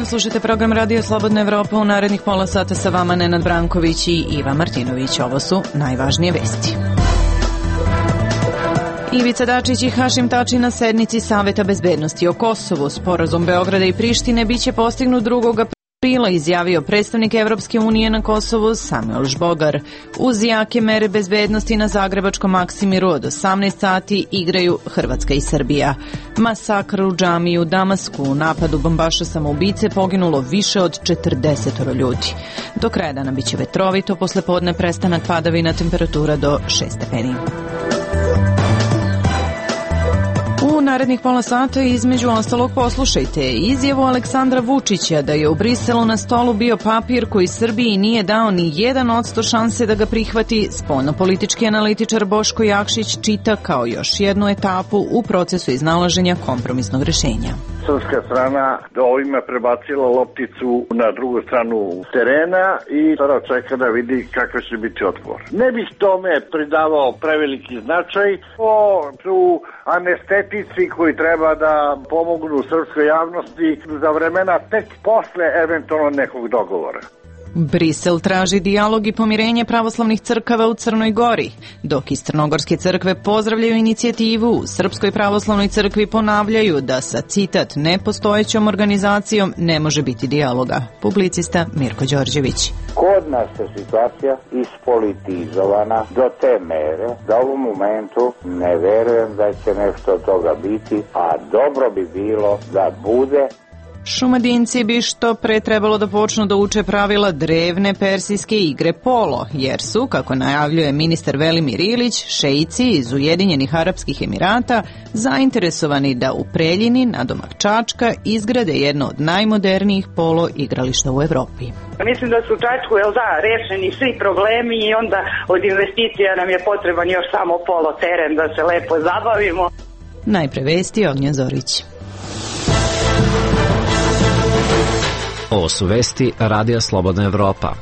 slušajte program Radio Slobodna Evropa. U narednih pola sata sa vama Nenad Branković i Iva Martinović. Ovo su najvažnije vesti. Ivica Dačić i Hašim Tači na sednici Saveta bezbednosti o Kosovu. Sporazum Beograda i Prištine biće postignut 2. aprila, izjavio predstavnik Evropske unije na Kosovu Samuel Žbogar. Uz jake mere bezbednosti na zagrebačkom Maksimiru od 18 sati igraju Hrvatska i Srbija. Masakr u džamiji u Damasku, u napadu bombaša samoubice poginulo više od 40 ljudi. Do kraja dana biće vetrovito, posle podne prestanak padavina, temperatura do 6 stepeni. U narednih pola sata između ostalog poslušajte izjavu Aleksandra Vučića da je u Briselu na stolu bio papir koji Srbiji nije dao ni 1% šanse da ga prihvati. Spoljnopolitički analitičar Boško Jakšić čita kao još jednu etapu u procesu iznalaženja kompromisnog rešenja. Srpska strana ovime prebacila lopticu na drugu stranu terena i sada čeka da vidi kakav će biti odgovor. Ne bih tome pridavao preveliki značaj. O su anestetici koji treba da pomognu srpskoj javnosti za vremena tek posle eventualno nekog dogovora. Brisel traži dijalog i pomirenje pravoslavnih crkava u Crnoj Gori, dok iz Crnogorske crkve pozdravljaju inicijativu. U Srpskoj pravoslavnoj crkvi ponavljaju da sa, citat, nepostojećom organizacijom ne može biti dijaloga. Publicista Mirko Đorđević. Kod nas je situacija ispolitizovana do te mere da u ovom momentu ne verujem da će nešto od toga biti, a dobro bi bilo da bude. Šumadinci bi što pre trebalo da počnu da uče pravila drevne persijske igre polo, jer su, kako najavljuje ministar Velimir Ilić, šeici iz Ujedinjenih Arapskih Emirata zainteresovani da u Preljini, nadomak Čačka, izgrade jedno od najmodernijih polo igrališta u Evropi. Mislim da su u Čačku, rešeni svi problemi i onda od investicija nam je potreban još samo polo teren da se lepo zabavimo. Najpre vesti, Ognjen Zorić. Ovo su vesti Radija Slobodna Evropa.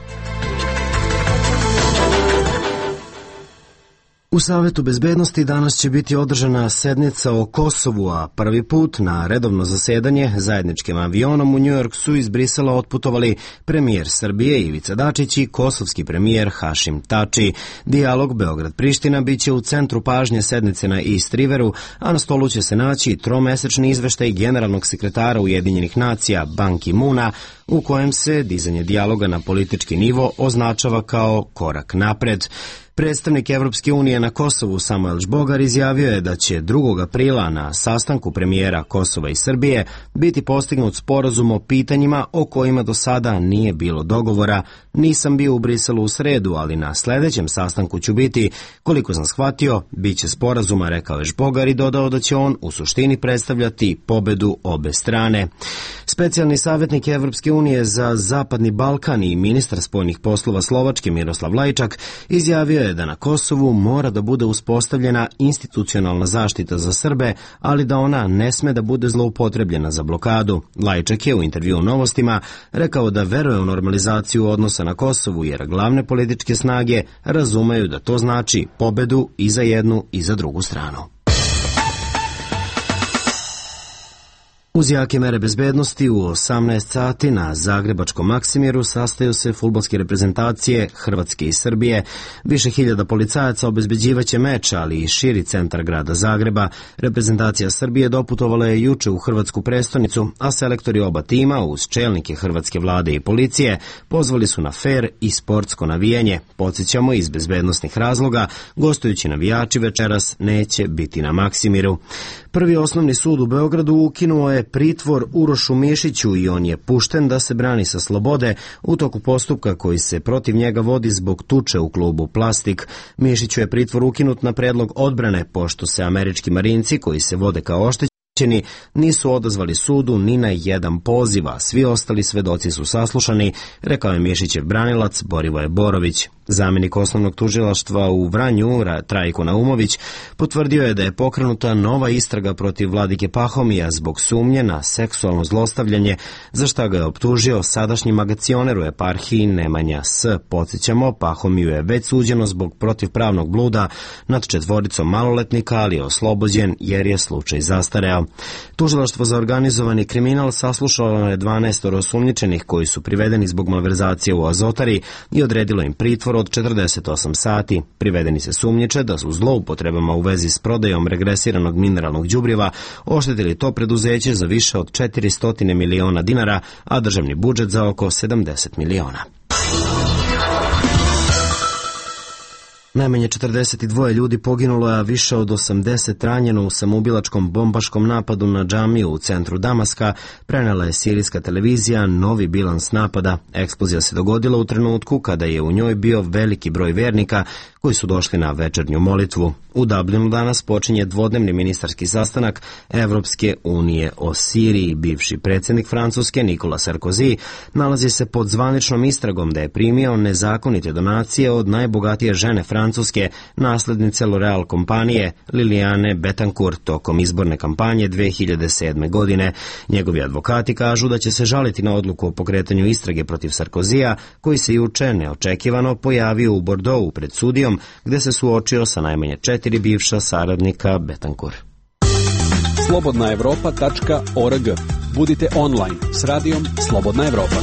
U Savetu bezbednosti danas će biti održana sednica o Kosovu, a prvi put na redovno zasedanje zajedničkim avionom u Njujork su iz Brisela otputovali premijer Srbije Ivica Dačić i kosovski premijer Hašim Tači. Dijalog Beograd-Priština biće u centru pažnje sednice na East Riveru, a na stolu će se naći tromesečni izveštaj generalnog sekretara Ujedinjenih nacija Ban Ki-moona, u kojem se dizanje dijaloga na politički nivo označava kao korak napred. Predstavnik Evropske unije na Kosovu Samuel Žbogar izjavio je da će 2. aprila na sastanku premijera Kosova i Srbije biti postignut sporazum o pitanjima o kojima do sada nije bilo dogovora. Nisam bio u Briselu u sredu, ali na sledećem sastanku ću biti. Koliko sam shvatio, bit će sporazuma, rekao je Žbogar i dodao da će on u suštini predstavljati pobedu obe strane. Specijalni savjetnik Evropske unije za Zapadni Balkan i ministar spoljnih poslova Slovačke Miroslav Lajčak izjavio je da na Kosovu mora da bude uspostavljena institucionalna zaštita za Srbe, ali da ona ne sme da bude zloupotrebljena za blokadu. Lajčak je u intervjuu Novostima rekao da veruje u normalizaciju odnosa na Kosovu, jer glavne političke snage razumeju da to znači pobedu i za jednu i za drugu stranu. Uz jake mere bezbednosti u 18 sati na zagrebačkom Maksimiru sastaju se fudbalske reprezentacije Hrvatske i Srbije. Više hiljada policajaca obezbeđivaće meč, ali i širi centar grada Zagreba. Reprezentacija Srbije doputovala je juče u hrvatsku prestonicu, a selektori oba tima, uz čelnike hrvatske vlade i policije, pozvali su na fer i sportsko navijanje. Podsjećamo, iz bezbednosnih razloga, gostujući navijači večeras neće biti na Maksimiru. Prvi osnovni sud u Beogradu ukinuo je pritvor Urošu Mišiću i on je pušten da se brani sa slobode u toku postupka koji se protiv njega vodi zbog tuče u klubu Plastik. Mišiću je pritvor ukinut na predlog odbrane, pošto se američki marinci koji se vode kao oštećeni nisu odazvali sudu ni na jedan poziv, a svi ostali svedoci su saslušani, rekao je Mišićev branilac Borivoje Borović. Zamjenik osnovnog tužilaštva u Vranju, Trajko Naumović, potvrdio je da je pokrenuta nova istraga protiv Vladike Pahomija zbog sumnje na seksualno zlostavljanje, za šta ga je optužio sadašnji magacioner u eparhiji Nemanja S. Podsjećamo, Pahomiju je već suđeno zbog protivpravnog bluda nad 4 maloletnika, ali je oslobođen jer je slučaj zastareo. Tužilaštvo za organizovani kriminal saslušalo je 12 osumnjičenih koji su privedeni zbog malverzacije u Azotari i odredilo im pritvor od 48 sati. Privedeni se sumnjiče da su zloupotrebama u vezi s prodajom regresiranog mineralnog đubriva oštetili to preduzeće za više od 400 miliona dinara, a državni budžet za oko 70 miliona. Najmanje 42 ljudi poginulo, a više od 80 ranjeno u samoubilačkom bombaškom napadu na džamiju u centru Damaska, prenela je sirijska televizija novi bilans napada. Eksplozija se dogodila u trenutku kada je u njoj bio veliki broj vernika koji su došli na večernju molitvu. U Dublinu danas počinje dvodnevni ministarski sastanak Evropske unije o Siriji. Bivši predsjednik Francuske Nicolas Sarkozy nalazi se pod zvaničnom istragom da je primio nezakonite donacije od najbogatije žene Francuske, naslednice L'Oreal kompanije Liliane Bettencourt tokom izborne kampanje 2007. godine. Njegovi advokati kažu da će se žaliti na odluku o pokretanju istrage protiv Sarkozija, koji se juče neočekivano pojavio u Bordeauxu pred sudijom, gde se suočio sa najmanje 4 bivša saradnika Bettencourt. Slobodnaevropa.org. Budite online s radijom Slobodna Evropa.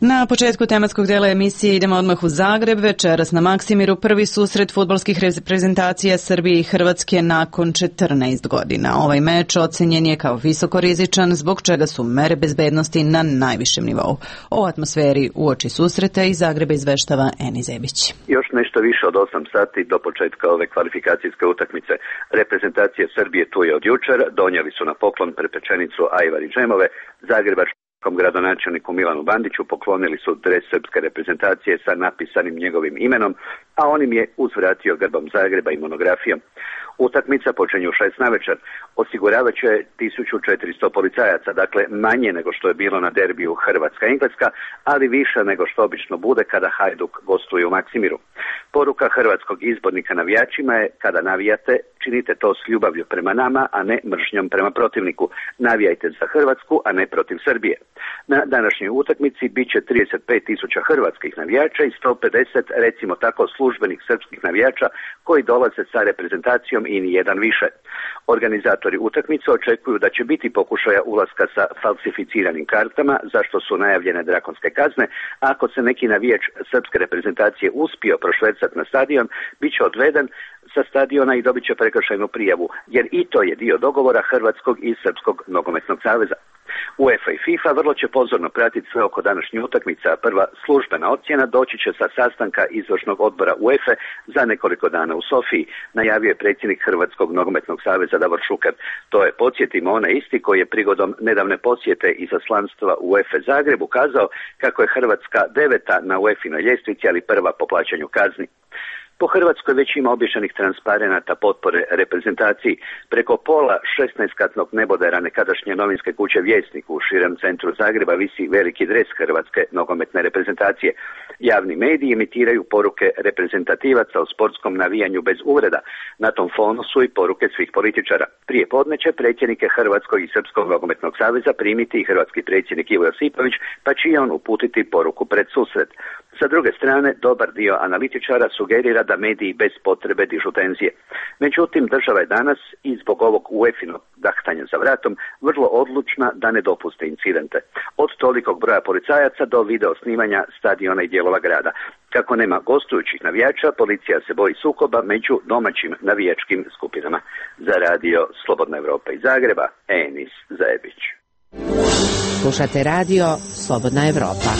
Na početku tematskog dela emisije idemo odmah u Zagreb. Večeras na Maksimiru prvi susret fudbalskih reprezentacija Srbije i Hrvatske nakon 14 godina. Ovaj meč ocenjen je kao visokorizičan, zbog čega su mere bezbednosti na najvišem nivou. O atmosferi uoči susreta iz Zagreba izveštava Eni Zebić. Još nešto više od 8 sati do početka ove kvalifikacijske utakmice. Reprezentacije Srbije tu je od jučer, donijeli su na poklon prepečenicu ajvar i džemove. Zagrebačkom gradonačelniku Milanu Bandiću poklonili su dres srpske reprezentacije sa napisanim njegovim imenom, a on im je uzvratio grbom Zagreba i monografijom. Utakmica počinje u 6 navečer. Osiguravat će 1400 policajaca, dakle manje nego što je bilo na derbiju Hrvatska-Engleska, ali više nego što obično bude kada Hajduk gostuje u Maksimiru. Poruka hrvatskog izbornika navijačima je: kada navijate, činite to s ljubavlju prema nama, a ne mržnjom prema protivniku. Navijajte za Hrvatsku, a ne protiv Srbije. Na današnjoj utakmici bit će 35.000 hrvatskih navijača i 150, recimo tako, službenih srpskih navijača koji dolaze sa reprezentacijom i ni jedan više. Organizatori utakmice očekuju da će biti pokušaja ulaska sa falsificiranim kartama, zašto su najavljene drakonske kazne. Ako se neki navijač srpske reprezentacije uspio prošvercati na stadion, bit će odveden sa stadiona i dobit će prekršajnu prijavu, jer i to je dio dogovora Hrvatskog i Srpskog nogometnog saveza. UEFA i FIFA vrlo će pozorno pratiti sve oko današnje utakmice, a prva službena ocjena doći će sa sastanka izvršnog odbora UEFA za nekoliko dana u Sofiji, najavio je predsjednik Hrvatskog nogometnog saveza Davor Šuker. To je, podsjetimo, onaj isti koji je prigodom nedavne posjete izaslanstva UEFA Zagrebu kazao kako je Hrvatska 9. na UEFA-inoj ljestvici, ali prva po plaćanju kazni. Po Hrvatskoj već ima obješenih transparenata potpore reprezentaciji. Preko pola 16-katnog nebodera nekadašnje novinske kuće Vjesnik u širem centru Zagreba visi veliki dres Hrvatske nogometne reprezentacije. Javni mediji emitiraju poruke reprezentativaca o sportskom navijanju bez uvreda. Na tom fonu su i poruke svih političara. Prije podne će predsjednike Hrvatskog i Srpskog nogometnog saveza primiti i hrvatski predsjednik Ivo Josipović, pa će on uputiti poruku pred susret. Sa druge strane, dobar dio analitičara sugerira da mediji bez potrebe dižu tenzije. Međutim, država je danas i zbog ovog UEFA-inog dahtanja za vratom vrlo odlučna da ne dopuste incidente. Od tolikog broja policajaca do video snimanja stadiona i dijelova grada. Kako nema gostujućih navijača, policija se boji sukoba među domaćim navijačkim skupinama. Za radio Slobodna Evropa iz Zagreba, Enis Zajebić. Slušate radio Slobodna Evropa.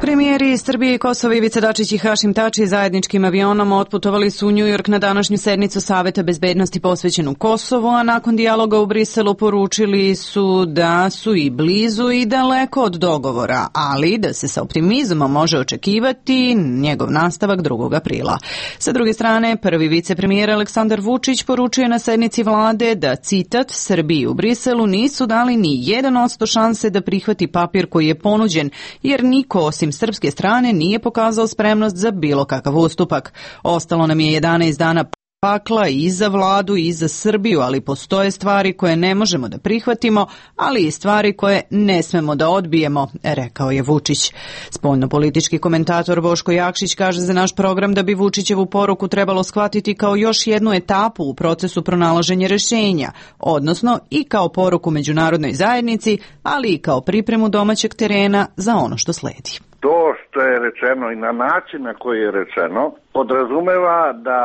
Premijeri Srbije i Kosova Ivica Dačić i Hašim Tači zajedničkim avionom otputovali su u Njujork na današnju sednicu Saveta bezbednosti posvećenu Kosovu, a nakon dijaloga u Briselu poručili su da su i blizu i daleko od dogovora, ali da se sa optimizmom može očekivati njegov nastavak 2. aprila. Sa druge strane, prvi vicepremijer Aleksandar Vučić poručuje na sednici vlade da, citat, Srbiji u Briselu nisu dali ni 1% šanse da prihvati papir koji je ponuđen, jer niko osim srpske strane nije pokazao spremnost za bilo kakav ustupak. Ostalo nam je 11 dana pakla i za vladu i za Srbiju, ali postoje stvari koje ne možemo da prihvatimo, ali i stvari koje ne smemo da odbijemo, rekao je Vučić. Spoljnopolitički komentator Boško Jakšić kaže za naš program da bi Vučićevu poruku trebalo shvatiti kao još jednu etapu u procesu pronalaženja rešenja, odnosno i kao poruku međunarodnoj zajednici, ali i kao pripremu domaćeg terena za ono što sledi. To što je rečeno i na način na koji je rečeno podrazumeva da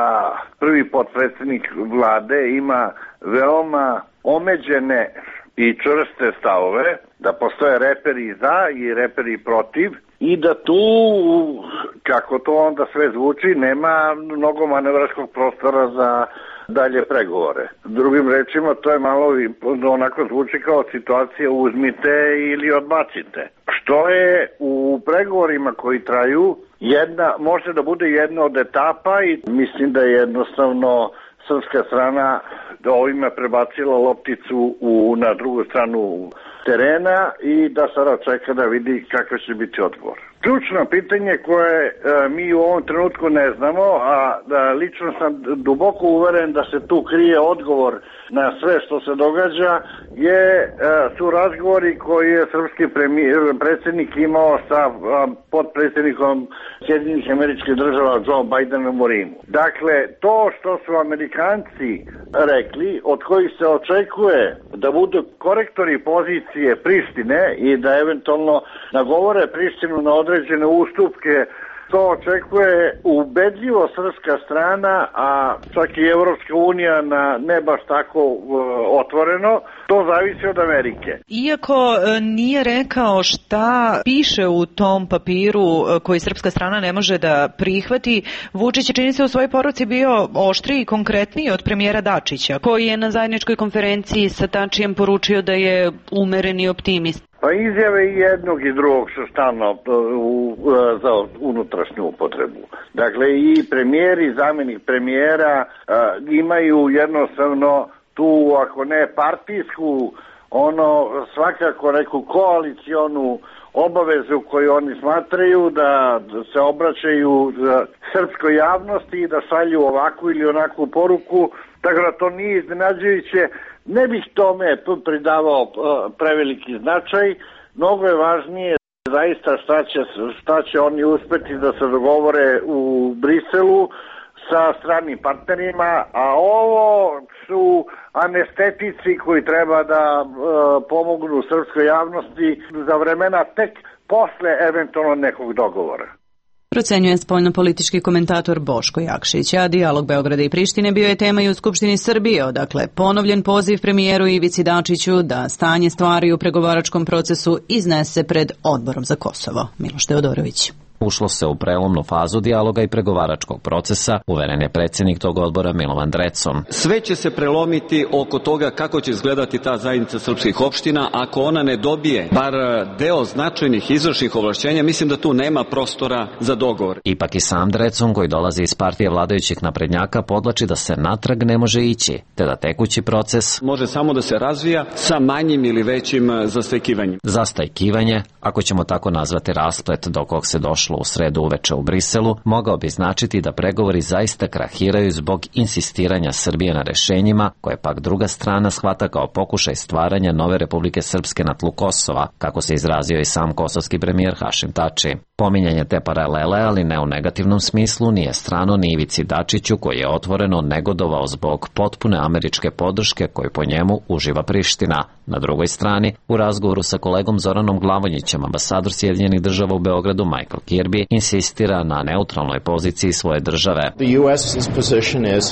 prvi potpredsjednik vlade ima veoma omeđene i čvrste stavove, da postoje reperi za i reperi protiv i da tu, kako to onda sve zvuči, nema mnogo manevarskog prostora za dalje pregovore. Drugim rečima, to je malo onako zvuči kao situacija uzmite ili odbacite. Što je u pregovorima koji traju, može da bude jedna od etapa i mislim da je jednostavno srpska strana ovime prebacila lopticu na drugu stranu terena i da sada čeka da vidi kakav će biti odgovor. Ključno pitanje koje mi u ovom trenutku ne znamo, a lično sam duboko uveren da se tu krije odgovor na sve što se događa, su razgovori koje je srpski predsjednik imao sa potpredsjednikom Sjedinjenih Američkih Država Joe Bidenom u Rimu. Dakle, to što su Amerikanci rekli, od kojih se očekuje da budu korektori pozicije Prištine i da eventualno nagovore Prištinu na određene ustupke, to očekuje ubedljivo srpska strana, a čak i Evropska unija ne baš tako otvoreno. To zavisi od Amerike. Iako nije rekao šta piše u tom papiru koji srpska strana ne može da prihvati, Vučić je, čini se, u svojoj poruci bio oštriji i konkretniji od premijera Dačića, koji je na zajedničkoj konferenciji sa Tačijem poručio da je umereni optimist. Pa izjave i jednog i drugog su stalno za unutrašnju upotrebu. Dakle, i premijer i zamjenik premijera imaju jednostavno tu, ako ne partijsku, svakako neku koalicionu obavezu koju oni smatraju da se obraćaju srpskoj javnosti i da šalju ovakvu ili onakvu poruku, tako da to nije iznenađujuće. Ne bih tome pridavao preveliki značaj, mnogo je važnije zaista šta će oni uspeti da se dogovore u Briselu sa stranim partnerima, a ovo su anestetici koji treba da pomognu srpskoj javnosti za vremena tek posle eventualno nekog dogovora. Procenjuje spoljnopolitički komentator Boško Jakšić, a dijalog Beograda i Prištine bio je tema i u Skupštini Srbije, odakle ponovljen poziv premijeru Ivici Dačiću da stanje stvari u pregovaračkom procesu iznese pred Odborom za Kosovo. Miloš Teodorović. Ušlo se u prelomnu fazu dijaloga i pregovaračkog procesa, uveren je predsjednik tog odbora Milovan Drecun. Sve će se prelomiti oko toga kako će izgledati ta zajednica srpskih opština. Ako ona ne dobije bar deo značajnih izvršnih ovlašćenja, mislim da tu nema prostora za dogovor. Ipak i sam Drecun, koji dolazi iz partije vladajućih naprednjaka, podlači da se natrag ne može ići, te da tekući proces može samo da se razvija sa manjim ili većim zastajkivanjem. Zastajkivanje, ako ćemo tako nazvati rasplet do kog se došlo u sredu uveče u Briselu, mogao bi značiti da pregovori zaista krahiraju zbog insistiranja Srbije na rešenjima, koje pak druga strana shvata kao pokušaj stvaranja nove Republike Srpske na tlu Kosova, kako se izrazio i sam kosovski premijer Hašim Tači. Pominjanje te paralele, ali ne u negativnom smislu, nije strano ni Ivici Dačiću, koji je otvoreno negodovao zbog potpune američke podrške koju po njemu uživa Priština. Na drugoj strani, u razgovoru sa kolegom Zoranom Glavonjićem, ambasador Sjedinjenih Država u Beogradu Michael Keenan Kirby insistira na neutralnoj poziciji svoje države.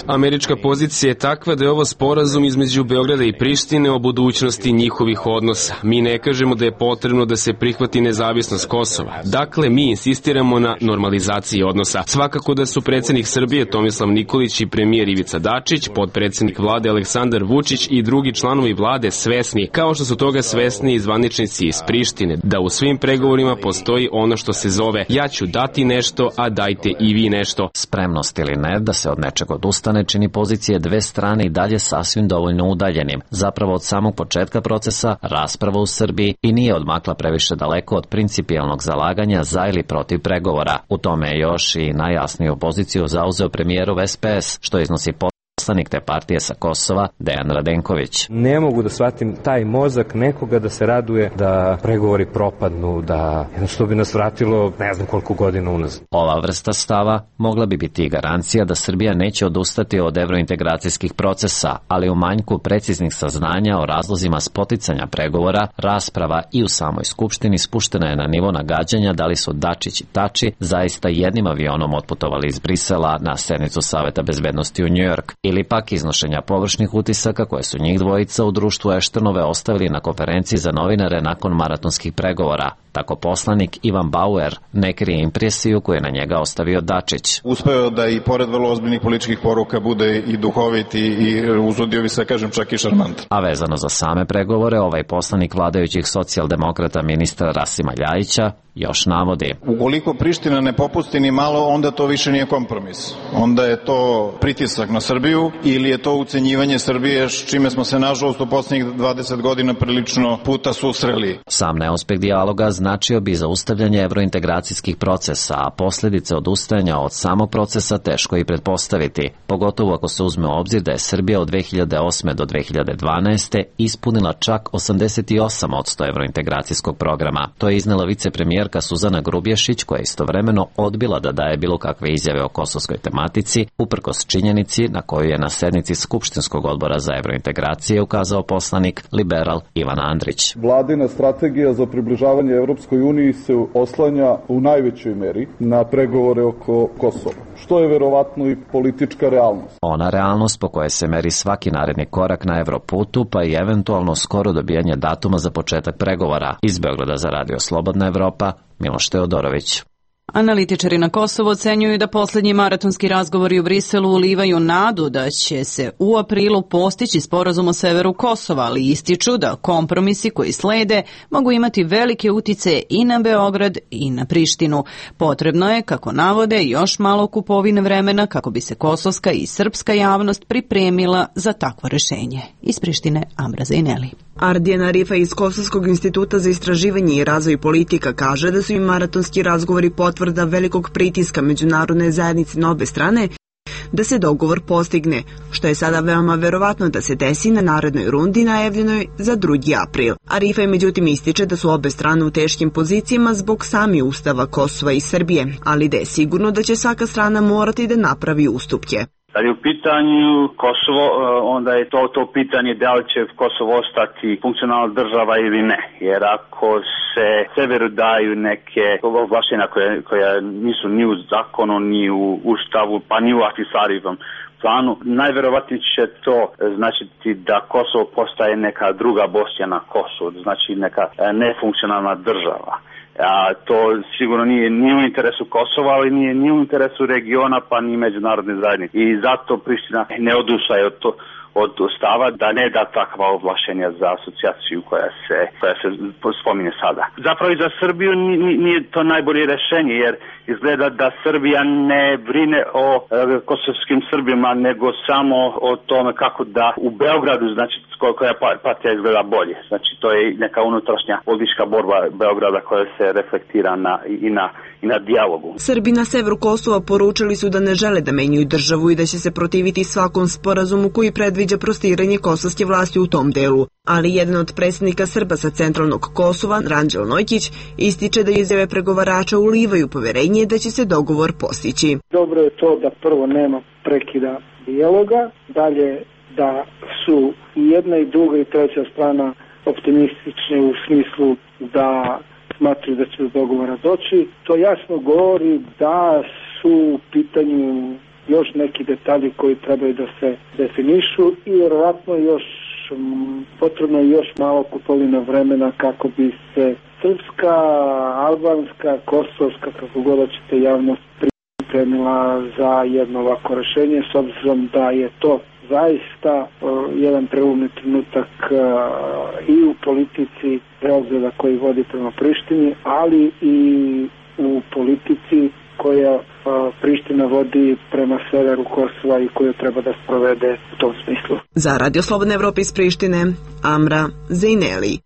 Američka pozicija je takva da je ovo sporazum između Beograda i Prištine o budućnosti njihovih odnosa. Mi ne kažemo da je potrebno da se prihvati nezavisnost Kosova. Dakle, mi insistiramo na normalizaciji odnosa. Svakako da su predsjednik Srbije Tomislav Nikolić i premijer Ivica Dačić, potpredsjednik vlade Aleksandar Vučić i drugi članovi vlade svesni, kao što su toga svesni i zvaničnici iz Prištine, da u svim pregovorima postoji ono što se zove ja ću dati nešto, a dajte i vi nešto. Spremnost ili ne da se od nečeg odustane čini pozicije dve strane i dalje sasvim dovoljno udaljenim. Zapravo od samog početka procesa rasprava u Srbiji i nije odmakla previše daleko od principijelnog zalaganja za ili protiv pregovora. U tome je još i najjasniju poziciju zauzeo premijerov SPS, što iznosi poslanik te partije sa Kosova, Dejan Radenković. Ne mogu da shvatim taj mozak nekoga da se raduje da pregovori propadnu, da što bi nas vratilo ne znam koliko godina unazad. Ova vrsta stava mogla bi biti i garancija da Srbija neće odustati od evrointegracijskih procesa, ali u manjku preciznih saznanja o razlozima spoticanja pregovora, rasprava i u samoj Skupštini spuštena je na nivo nagađanja da li su Dačić i Tači zaista jednim avionom otputovali iz Brisela na sednicu Saveta bezbednosti u Njujork, ili pak iznošenja površnih utisaka koje su njih dvojica u društvu Eštenove ostavili na konferenciji za novinare nakon maratonskih pregovora. Tako poslanik Ivan Bauer ne krije impresiju koju je na njega ostavio Dačić. Uspeo da i pored vrlo ozbiljnih političkih poruka bude i duhovit i uzudio bi se kažem čak i šarmant. A vezano za same pregovore, ovaj poslanik vladajućih socijaldemokrata ministra Rasima Ljajića još navodi. Ukoliko Priština ne popusti ni malo, onda to više nije kompromis. Onda je to pritisak na Srbiju ili je to ucenjivanje Srbije, s čime smo se nažalost u poslednjih 20 godina prilično puta susreli. Sam neuspeh dijaloga značio bi zaustavljanje evrointegracijskih procesa, a posljedice odustajanja od samog procesa teško i pretpostaviti, pogotovo ako se uzme u obzir da je Srbija od 2008. do 2012. ispunila čak 88% evrointegracijskog programa. To je iznela vicepremijerka Suzana Grubješić, koja je istovremeno odbila da daje bilo kakve izjave o kosovskoj tematici, uprkos činjenici na koju je na sednici Skupštinskog odbora za evrointegracije ukazao poslanik liberal Ivan Andrić. Vladina strategija za približavanje Evropskoj uniji se oslanja u najvećoj meri na pregovore oko Kosova, što je verovatno i politička realnost. Ona realnost po kojoj se meri svaki naredni korak na Evroputu, pa i eventualno skoro dobijanje datuma za početak pregovora. Iz Beograda za Radio Slobodna Evropa, Miloš Teodorović. Analitičari na Kosovu ocenjuju da posljednji maratonski razgovori u Briselu ulivaju nadu da će se u aprilu postići sporazum o severu Kosova, ali ističu da kompromisi koji slede mogu imati velike utice i na Beograd i na Prištinu. Potrebno je, kako navode, još malo kupovine vremena kako bi se kosovska i srpska javnost pripremila za takvo rešenje. Iz Prištine, Ambra Zejneli. Ardijan Arifa iz Kosovskog instituta za istraživanje i razvoj politika kaže da su i maratonski razgovori potvrda velikog pritiska međunarodne zajednice na obe strane da se dogovor postigne, što je sada veoma verovatno da se desi na narednoj rundi najavljenoj za 2. april. Arifa je međutim ističe da su obe strane u teškim pozicijama zbog sami ustava Kosova i Srbije, ali da je sigurno da će svaka strana morati da napravi ustupke. Kad je u pitanju Kosovo, onda je to pitanje da li će Kosovo ostati funkcionalna država ili ne. Jer ako se severu daju neke ovlašćenja koja nisu ni u zakonu, ni u ustavu, pa ni u Ahtisarijevom planu, najverovatnije će to značiti da Kosovo postaje neka druga Bosna na Kosovu, znači neka nefunkcionalna država. A to sigurno nije ni u interesu Kosova, ali nije ni u interesu regiona, pa ni međunarodne zajednice. I zato Priština ne odustaje od stava da ne da takva ovlašćenja za asocijaciju koja se spominje sada. Zapravo i za Srbiju nije to najbolje rešenje, jer izgleda da Srbija ne brine o kosovskim Srbima, nego samo o tome kako da u Beogradu, znači koja partija izgleda bolje. Znači to je neka unutrašnja politička borba Beograda koja se reflektira i na dijalogu. Srbi na severu Kosova poručili su da ne žele da menjaju državu i da će se protiviti svakom sporazumu koji predviđa prostiranje kosovske vlasti u tom delu. Ali jedan od predsjednika Srba sa centralnog Kosova, Ranđel Nojkić, ističe da izjave pregovarača ulivaju poverenje da će se dogovor postići. Dobro je to da prvo nema prekida dijaloga, dalje da su i jedna i druga i treća strana optimistične u smislu da smatraju da će do dogovora doći. To jasno govori da su u pitanju još neki detalji koji trebaju da se definišu i vjerovatno još potrebno je još malo kupovina vremena kako bi se srpska, albanska, kosovska, kako god hoćete, javnost pripremila za jedno ovako rešenje, s obzirom da je to zaista jedan prelomni trenutak i u politici Beograda koji vodi prema Prištini, ali i u politici koja Priština vodi prema severu Kosova i koju treba da sprovede u tom smislu. Za Radio Slobodna Evropa iz Prištine, Amra Zejneli.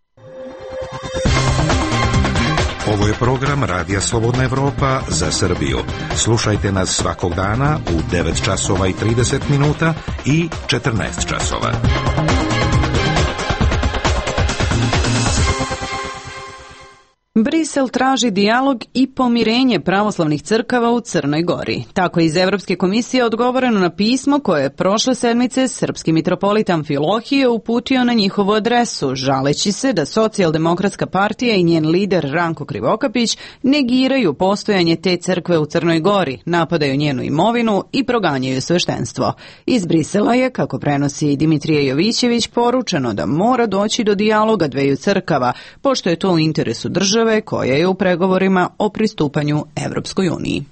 Ovo je program Radija Slobodna Evropa za Srbiju. Slušajte nas svakog dana u 9 časova i 30 minuta i 14 časova. Brisel traži dijalog i pomirenje pravoslavnih crkava u Crnoj Gori. Tako je iz Evropske komisije odgovoreno na pismo koje je prošle sedmice srpski mitropolit Amfilohije uputio na njihovu adresu, žaleći se da Socijaldemokratska partija i njen lider Ranko Krivokapić negiraju postojanje te crkve u Crnoj Gori, napadaju njenu imovinu i proganjaju sveštenstvo. Iz Brisela je, kako prenosi Dimitrije Jovićević, poručeno da mora doći do dijaloga dveju crkava, pošto je to u interesu države koja je u pregovorima o pristupanju Evropskoj uniji.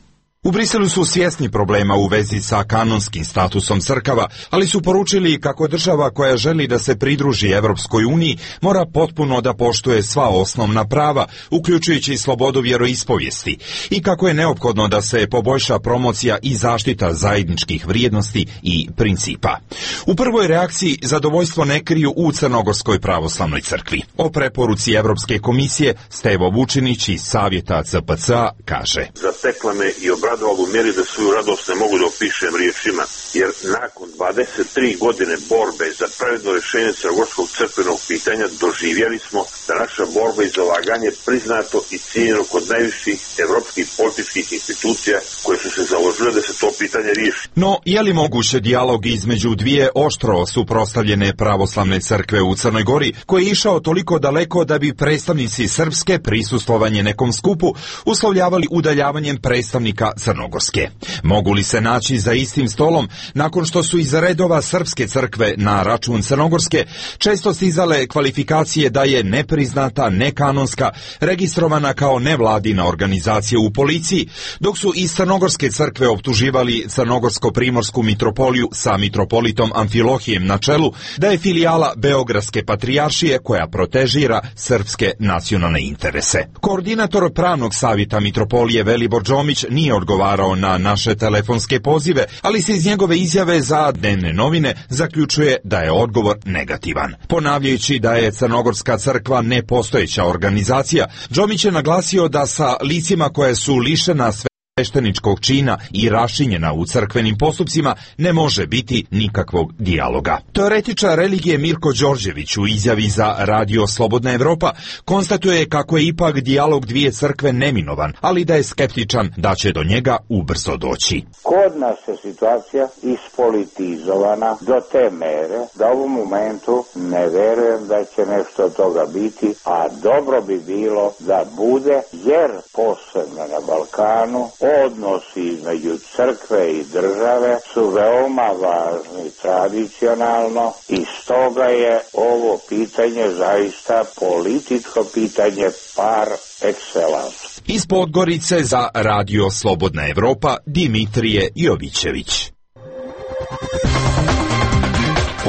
U Briselu su svjesni problema u vezi sa kanonskim statusom crkava, ali su poručili kako država koja želi da se pridruži Evropskoj uniji mora potpuno da poštuje sva osnovna prava, uključujući slobodu vjeroispovijesti, i kako je neophodno da se poboljša promocija i zaštita zajedničkih vrijednosti i principa. U prvoj reakciji zadovoljstvo ne kriju u Crnogorskoj pravoslavnoj crkvi. O preporuci Evropske komisije Stevo Vučinić iz Savjeta CPC-a kaže: Zatekla me i obradovalo u mjeri da svoju radost ne mogu da opišem riječima, jer nakon 23 godine borbe za pravedno rješenje crnogorskog crkvenog pitanja doživjeli smo da naša borba i zalaganje priznato i cijenjeno kod najviših evropskih političkih institucija koje su se založile da se to pitanje riješi. No, je li moguće dijalog između dvije oštro suprotstavljene pravoslavne crkve u Crnoj Gori, koji je išao toliko daleko da bi predstavnici srpske prisustvovanje nekom skupu uslovljavali udaljavanjem predstavnika Crnogorske? Mogu li se naći za istim stolom nakon što su iz redova srpske crkve na račun Crnogorske često stizale kvalifikacije da je nepriznata, nekanonska, registrovana kao nevladina organizacija u policiji, dok su iz Crnogorske crkve optuživali Crnogorsko-primorsku mitropoliju sa mitropolitom Amfilohijem na čelu da je filijala Beogradske patrijaršije koja protežira srpske nacionalne interese. Koordinator pravnog savjeta mitropolije Velibor Đomić nije odgovarao na naše telefonske pozive, ali se iz njegove izjave za dnevne novine zaključuje da je odgovor negativan. Ponavljajući da je Crnogorska crkva nepostojeća organizacija, Đomić je naglasio da sa licima koje su lišena svešteničkog čina i rašinjena u crkvenim postupcima ne može biti nikakvog dijaloga. Teoretičar religije Mirko Đorđević u izjavi za Radio Slobodna Evropa konstatuje kako je ipak dijalog dvije crkve neminovan, ali da je skeptičan da će do njega ubrzo doći. Kod nas je situacija ispolitizovana do te mere da u ovom momentu ne verujem da će nešto od toga biti, a dobro bi bilo da bude, jer posebno na Balkanu odnosi između crkve i države su veoma važni tradicionalno i stoga je ovo pitanje zaista političko pitanje par excellence. Iz Podgorice za Radio Slobodna Evropa Dimitrije Jovićević.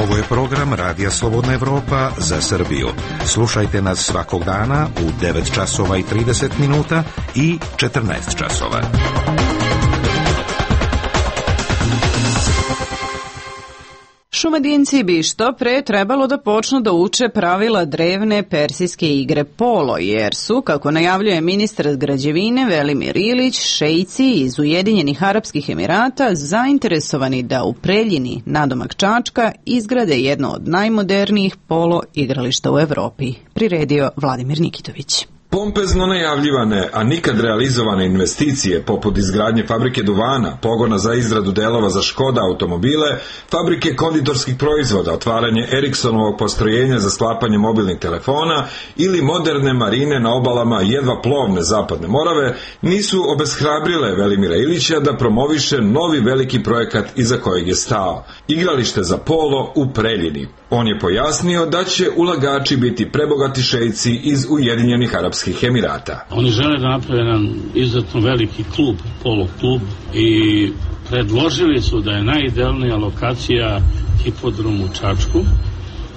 Ovo je program Radija Slobodna Evropa za Srbiju. Slušajte nas svakog dana u 9 časova i 30 minuta i 14 časova. Šumadinci bi što pre trebalo da počnu da uče pravila drevne persijske igre polo, jer su, kako najavljuje ministar građevine Velimir Ilić, šeici iz Ujedinjenih Arapskih Emirata zainteresovani da u Preljini, nadomak Čačka, izgrade jedno od najmodernijih polo igrališta u Evropi, priredio Vladimir Nikitović. Pompezno najavljivane, a nikad realizovane investicije, poput izgradnje fabrike duvana, pogona za izradu delova za Škoda automobile, fabrike konditorskih proizvoda, otvaranje Eriksonovog postrojenja za sklapanje mobilnih telefona ili moderne marine na obalama jedva plovne Zapadne Morave, nisu obeshrabrile Velimira Ilića da promoviše novi veliki projekat iza kojeg je stao, igralište za polo u Preljini. On je pojasnio da će ulagači biti prebogati šejci iz Ujedinjenih Arapskih Emirata. Oni žele da naprave jedan izuzetno veliki klub, polo klub, i predložili su da je najidealnija lokacija hipodrom u Čačku,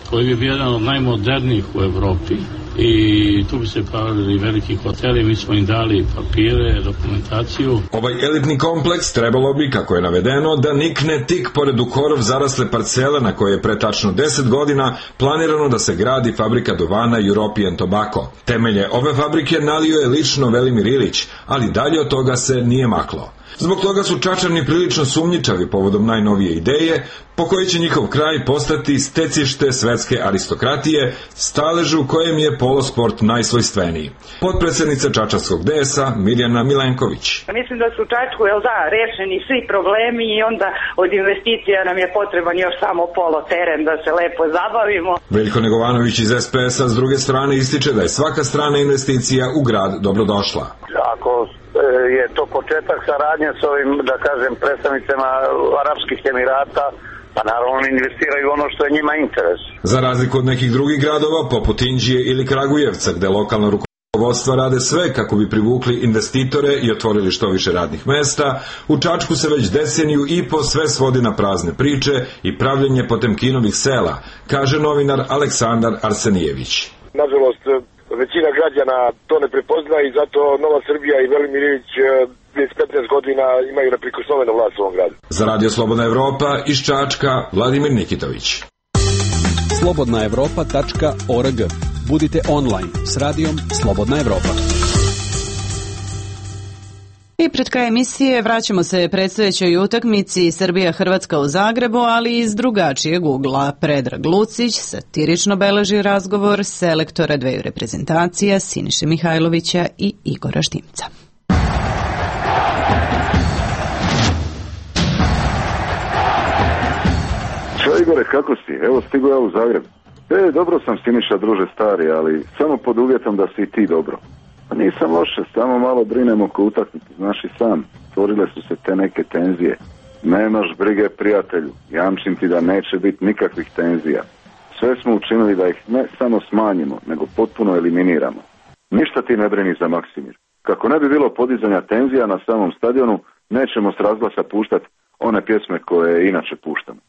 koji bi bio jedan od najmodernijih u Evropi, i tu bi se pravili veliki hoteli. Mi smo im dali papire, dokumentaciju. Ovaj elitni kompleks trebalo bi, kako je navedeno, da nikne tik pored u korov zarasle parcele na koje je pre tačno 10 godina planirano da se gradi fabrika duvana European Tobacco. Temelje ove fabrike nalio je lično Velimir Ilić, ali dalje od toga se nije maklo. Zbog toga su Čačani prilično sumnjičavi povodom najnovije ideje, po kojoj će njihov kraj postati stecište svetske aristokratije, staležu kojem je polosport najsvojstveniji. Potpredsednica Čačanskog DS-a Mirjana Milenković. Mislim da su u Čačku, rešeni svi problemi i onda od investicija nam je potreban još samo polo teren da se lepo zabavimo. Veljko Negovanović iz SPS-a s druge strane ističe da je svaka strana investicija u grad dobrodošla. Ako je to početak saradnje s ovim, da kažem, predstavnicama Arapskih Emirata, pa naravno investiraju ono što je njima interes. Za razliku od nekih drugih gradova, poput Inđije ili Kragujevca, gde lokalno rukovodstva rade sve kako bi privukli investitore i otvorili što više radnih mesta, u Čačku se već deceniju i po sve svodi na prazne priče i pravljenje Potemkinovih sela, kaže novinar Aleksandar Arsenijević. Nažalost, većina građana to ne prepozna i zato Nova Srbija i Velimir Ilić 15 godina imaju neprikosnovenu vlast u ovom gradu. Za Radio Slobodna Evropa iz Čačka, Vladimir Nikitović. slobodnaevropa.org. Budite online s radijom Slobodna Evropa. I pred kraj emisije vraćamo se predstojećoj utakmici Srbija-Hrvatska u Zagrebu, ali iz drugačijeg ugla. Predrag Lucić satirično beleži razgovor selektora dveju reprezentacija Siniše Mihajlovića i Igora Štimca. Ćao Igore, kako si? Evo stigu ja u Zagreb. Dobro sam Siniša, druže stari, ali samo pod uvjetom da si i ti dobro. Pa nisam loše, samo malo brinem oko utakmice, znaš i sam. Stvorile su se te neke tenzije. Nemaš brige, prijatelju, jamčim ti da neće biti nikakvih tenzija. Sve smo učinili da ih ne samo smanjimo, nego potpuno eliminiramo. Ništa ti ne brini za Maksimir. Kako ne bi bilo podizanja tenzija na samom stadionu, nećemo s razglasa puštati one pjesme koje inače puštamo.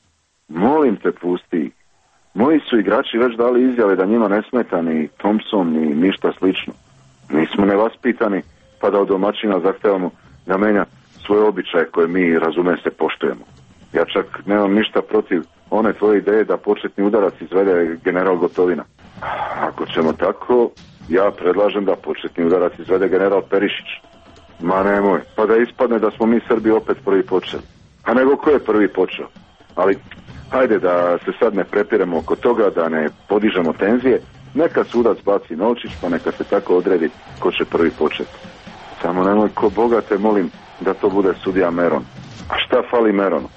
Molim te, pusti ih. Moji su igrači već dali izjave da njima ne smeta ni Thompson, ni ništa slično. Nismo nevaspitani, pa da od domaćina zahtevamo da menja svoje običaje koje mi, razume se, poštujemo. Ja čak nemam ništa protiv one tvoje ideje da početni udarac izvede general Gotovina. Ako ćemo tako, ja predlažem da početni udarac izvede general Perišić. Ma nemoj, pa da ispadne da smo mi Srbi opet prvi počeli. A nego ko je prvi počeo? Ali hajde da se sad ne prepiremo oko toga, da ne podižemo tenzije. Neka sudac baci novčić, pa neka se tako odredi ko će prvi početi. Samo nemoj ko Boga te molim da to bude sudija Meron. A šta fali Meronu?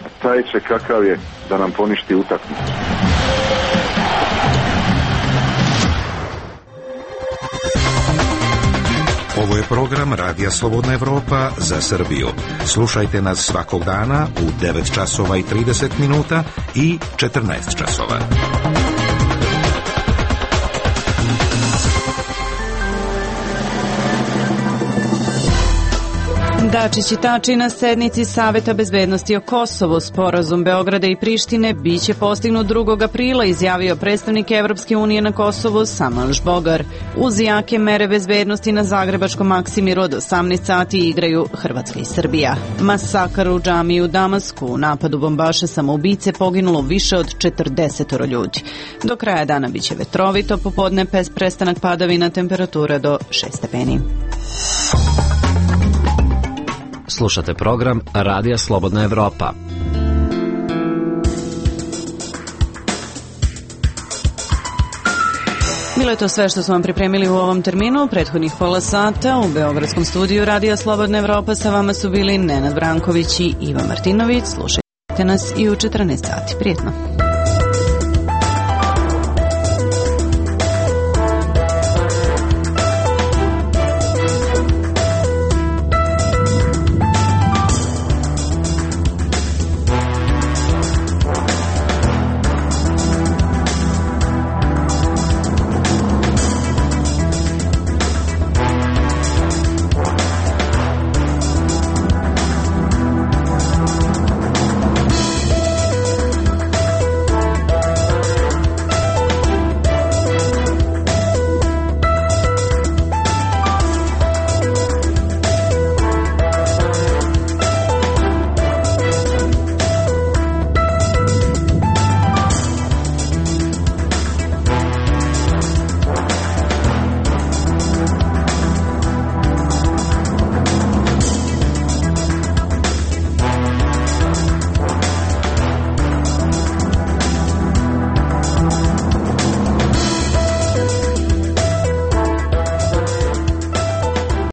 A taj će kakav je da nam poništi utakmicu. Ovo je program Radija Slobodna Evropa za Srbiju. Slušajte nas svakog dana u 9 časova i 30 minuta i 14 časova. Dačić i Tači na sednici Saveta bezbednosti o Kosovu. Sporazum Beograda i Prištine biće postignut 2. aprila, izjavio predstavnik Evropske unije na Kosovu Samuel Žbogar. Uz jake mere bezbednosti na zagrebačkom Maksimiru od 18 sati igraju Hrvatska i Srbija. Masakar u džamiji u Damasku. U napadu bombaša samoubice poginulo više od 40 ljudi. Do kraja dana biće vetrovito, popodne prestanak padavina, temperatura do 6 stepeni. Slušate program Radija Slobodna Evropa. Bilo je to sve što smo vam pripremili u ovom terminu. Prethodnih pola sata u Beogradskom studiju Radija Slobodna Evropa sa vama su bili Nenad Branković i Iva Martinović. Slušajte nas i u 14 sati. Prijetno.